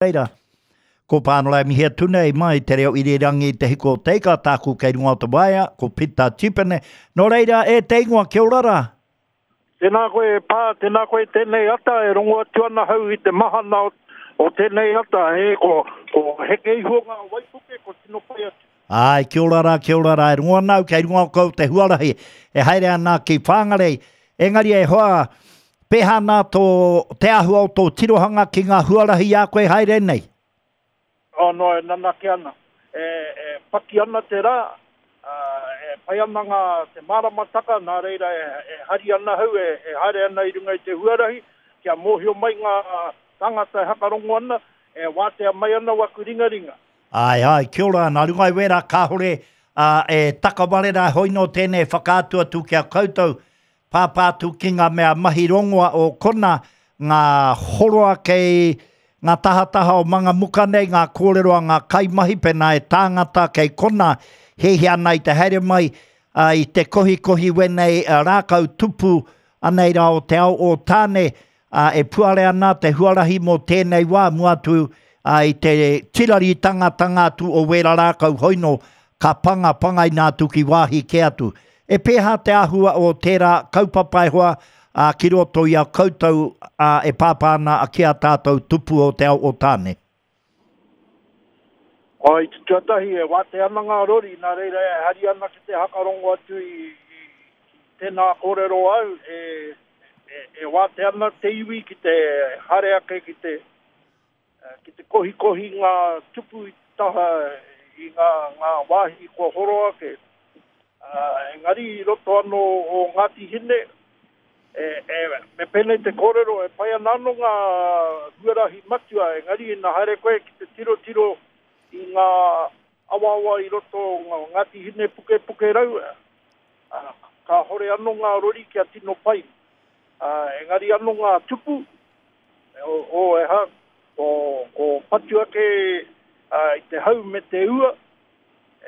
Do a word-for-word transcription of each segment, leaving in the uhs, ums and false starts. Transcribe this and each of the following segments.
Reira, ko Pānora e mihi atu nei mai te reo irirangi te hiko o te ika, tāku kei runga o te waea, ko Pita Tipene. Nō reira, e te ingoa, kia ora rā. Tēnā koe e pā, tēnā koe tēnei ata, e rongo atu ana hau i te mahana o, o tēnei ata, e, ko, ko heke iho ngā waipuke, ko tino pai atu. Ai, kia ora rā, kia ora rā, e rongo ana au, kei runga o kau te huarahi, e haere ana ki Whangarei. Engari e hoa, pēhā nā tō, te āhua o tō tirohanga ki ngā huarahi a koe haere nei? Oh, no, e nanake ana. E, e paki ana te rā, uh, e pai ana ngā te māramataka, nā reira e, e hari ana hau, e, e haere ana i runga i te huarahi, kia mōhio mai ngā tangata e hakarongo ana, e wātea mai ana waku ringaringa. Ai, ai, kia ora, nā runga i wera kāhore uh, e takaware rā hoi no tēnei whakaatu atu ki a koutou, pāpā atu ki ngā mea mahi rongoa o kona, ngā horoa kei ngā tahataha o Mangamuka nei, ngā kōrero a ngā kaimahi pēnā e tāngata kei kona, hehi ana i te haere mai, uh, i te kohikohi wenei uh, rākau tupu anei rā o te ao o Tāne, uh, e puare ana te huarahi mō tēnei wā mua atu uh, i te tiraritangatanga atu o wera rākau hoino ka panga pangaina atu ki wāhi ke atu. E pēhā te āhua o tērā kaupapa e hoa uh, ki roto i a koutou uh, e pāpā ana ki a tātou tupu o te ao o Tāne? O, i te tuatahi e wātea ana ngā rori, nā reira e hari ana ki te hakarongo atu i, i, i tēnā kōrero au, e, e, e wātea ana te iwi ki te haere ake ki te, ki te kohikohi ngā tupu i taha i ngā, ngā wāhi kua horo ake. Uh, engari i roto anō o Ngāti Hine, e, e, me pēnei te kōrero, e pai ana anō ngā huarahi matua, engari ina haere koe ki te tirotiro i ngā awaawa i roto o Ngāti Hine Puke Puke Rau, uh, ka hore anō ngā rori kia tino pai. Uh, engari anō ngā tupu, o, o e ha, o, ko patu ake uh, i te hau me te ua,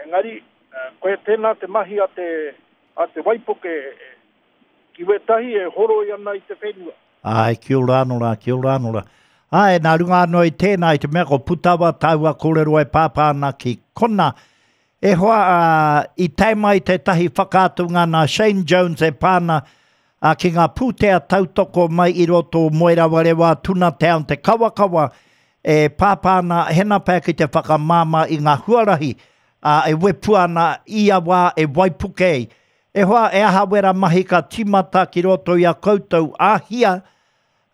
engari, uh, koe tēnā te mahi a te, a te waipuke, ki wetahi e horoi ana i te whenua. Ai, kia ora anō rā, kia ora anō rā. Ai, nā runga anō i tēnā, i te mea ko Putawa tāua kōrero e pāpā ana ki kona. E hoa, uh, i tae mai tētahi whakaatunga nā Shane Jones e pāna uh, ki ngā pūtea tautoko mai i roto o Moerawarewa, Tuna Town, te Kawakawa, e pāpā ana hena pea ki te whakamāmā i ngā huarahi, uh, e wepu ana i a wā e waipuke ei. E hoa, e aha wera mahi ka tīmata ki roto i a koutou āhia,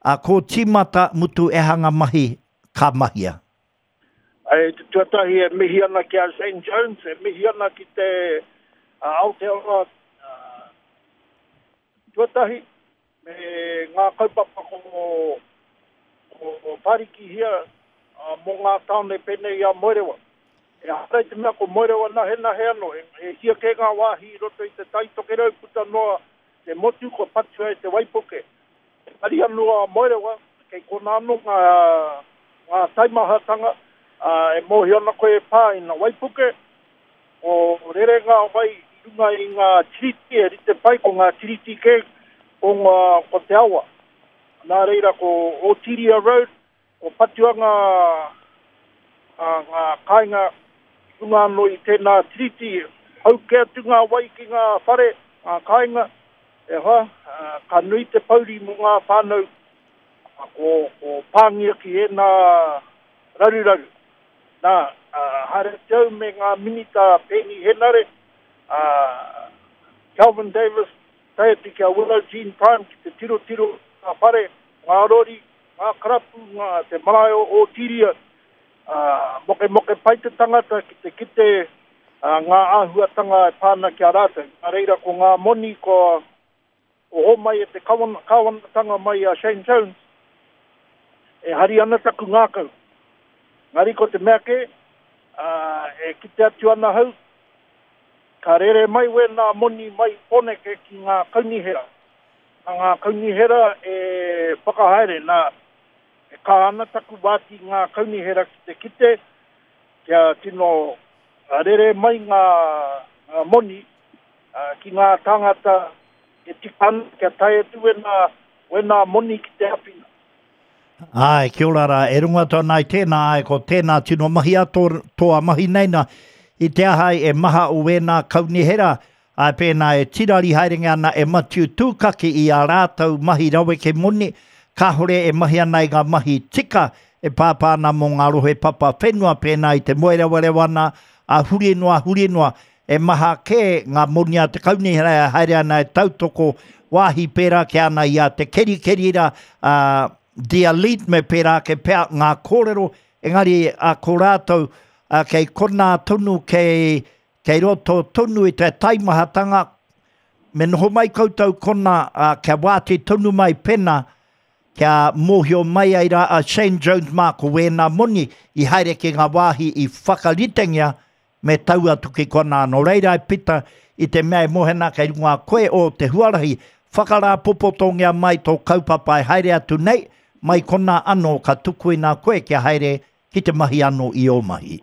a ko tīmata mutu e hanga mahi ka mahia. E te tuatahi e mihi ana ki a Shane Jones, e mihi ana ki te uh, Aotearoa uh, tuatahi, me ngā kaupapa ko, ko, ko Parikihia uh, mō ngā tāone pēnei a Moerewa. E hara i te mea ko Moerewa nahe nahe anō, e, e hia kē ngā wāhi i roto i te Tai Tokerau puta noa te motu ko patua e te waipuke. Engari anō a Moerewa, kei kona anō ngā, ngā taimahatanga, uh, e mōhio ana koe e pā ina waipuke, o rere ngā wai i runga i ngā tiriti, e rite pai ko ngā tiriti kē o ngā, ko te awa. Nā reira ko Otiria Road, ko patua ngā, ngā kāinga i runga anō i tēnā tiriti, hau ke atu ngā wai ki ngā whare, ngā kāinga, e hoa, uh, ka nui te pauri mō ngā whānau, ko, ko pāngia ki ēnā raruraru. Nā, uh, haere te au me ngā minita Peeni Henare, uh, Kelvin Davis, tae atu ki a Willow Jean Prime ki te tirotiro ngā whare, ngā rori, ngā karapu, ngā te marae o Otiria, uh, moke moke pai te tangata ki te kite uh, ngā āhuatanga e pāna ki a rātou. Nā reira ko ngā moni ko, ko homai e te kawana, kawanatanga mai a Shane Jones, e hari ana taku ngākau. Ngari ko te mea ke, uh, e kite atu ana hau, ka rere mai wēnā moni mai Pōneke ki ngā kaunihera. Nā ngā kaunihera e whakahaere, nā, e kā ana taku wāti ngā kaunihera ki te kite, kia tino rere mai ngā, ngā moni uh, ki ngā tāngata e tika ana, kia tae atu wēnā, wēnā moni ki te āwhina. Ai, kia ora rā, e runga tōna ai tēnā, ai, ko tēnā tino mahi a tō, tōa mahi nei nā, i te aha ai e maha o wēnā kaunihera, ai pēnā e tirari haerenge ana e Matiu Tūkaki i a rātou mahi raweke moni, kāhore e mahi ana i ngā mahi tika e pāpā ana mō ngā rohe papa whenua pēnā i te moerewarewa ana, a huri noa, huri noa, e maha kē ngā moni a te kaunihera e haere ana e tautoko wāhi pērā ki ana i a te kerikeri rā, a The Elite me pērā ke pea ngā kōrero, engari a ko rātou a, kei konā tonu, kei, kei roto tonu i te taimahatanga, me noho mai koutou kona a, kia wāti tonu mai pena, kia mōhio mai ai rā a Shane Jones mā ko wēnā moni i haere ki ngā wāhi i whakaritengia me tau atu ki kona. Nō reira e Pita i te mea e mohena kei runga koe o te huarahi, whakarāpopotongia mai tō kaupapa e haere atu nei, mai kona anō ka tukuina koe kia haere ki te mahi anō i ō mahi.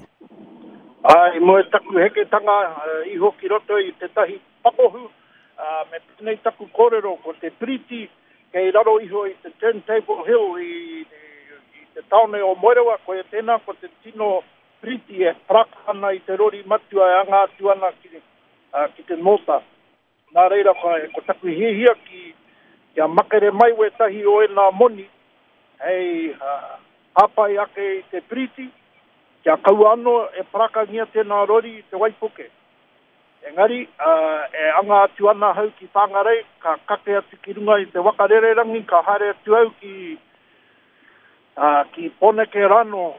Ai, mo e taku heketanga uh, iho ki roto i tētahi pakohu, uh, me pēnei taku kōrero ko te piriti kei raro iho i te Turntable Hill i, i, i te taone o Moerewa, koia tēnā ko te tino piriti e paraka ana i te rori matua e anga atu ana ki, uh, ki te nōta. Nā reira, ko, ko taku hiahia ki, kia makere mai wētahi o ēnā moni, hei uh, hāpai ake i te piriti, kia kaua anō e parakangia tēnā rori i te waipuke. Engari, uh, e anga atu ana hau ki Whangarei, ka kake atu ki runga i te wakarererangi, ka haere atu au ki, uh, ki Pōneke rano,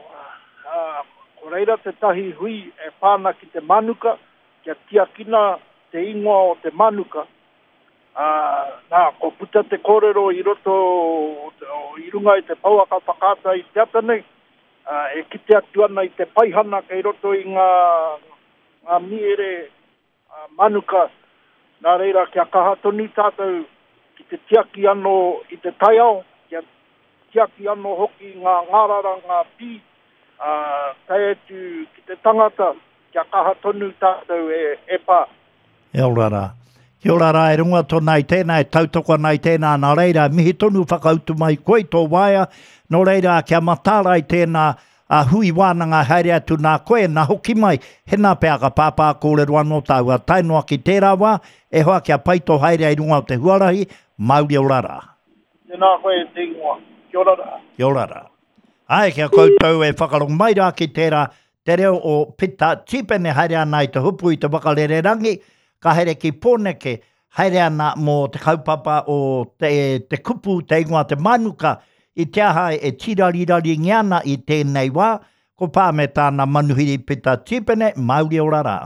uh, ko reira tētahi hui e pāna ki te manuka, kia tiakina te ingoa o te manuka. Uh, nā, ko puta te kōrero i roto o, i runga i te pouaka whakaata i te ata nei, uh, e kite atu ana i te paihana kei roto i ngā, ngā miere uh, manuka. Nā reira, kia kaha tonu tātou ki te tiaki anō i te taiao, kia tiaki anō hoki ngā ngārara, ngā pī, uh, tae atu ki te tangata, kia kaha tonu tātou e, e pā. E ora rā. Kia ora rā, e runga tōna i tēnā, e tautoko ana i tēnā, nā reira, mihi tonu whakautu mai koe tō waea, nō reira, kia mataara i tēnā a hui wānanga haere atu nā koe, nā hoki mai, hena pea ka pāpā kōrero anō tāua, tae noa ki tērā wā, e hoa kia pai tō haere ai runga o te huarahi, mauri ora rā. Tēnā koe te ingoa. Kia ora rā. Kia ora rā. Ai, kia koutou e whakarongo mai rā ki tērā, te reo o Pita Tīpene haere ana i te hupu i te wakarererangi, ka haere ki Pōneke, haere ana mō te kaupapa o te, te kupu, te ingoa te manuka, i te aha e tirariraringia ana i tēnei wā, ko pā me tāna manuhiri Pita Tīpene, mauri ora rā.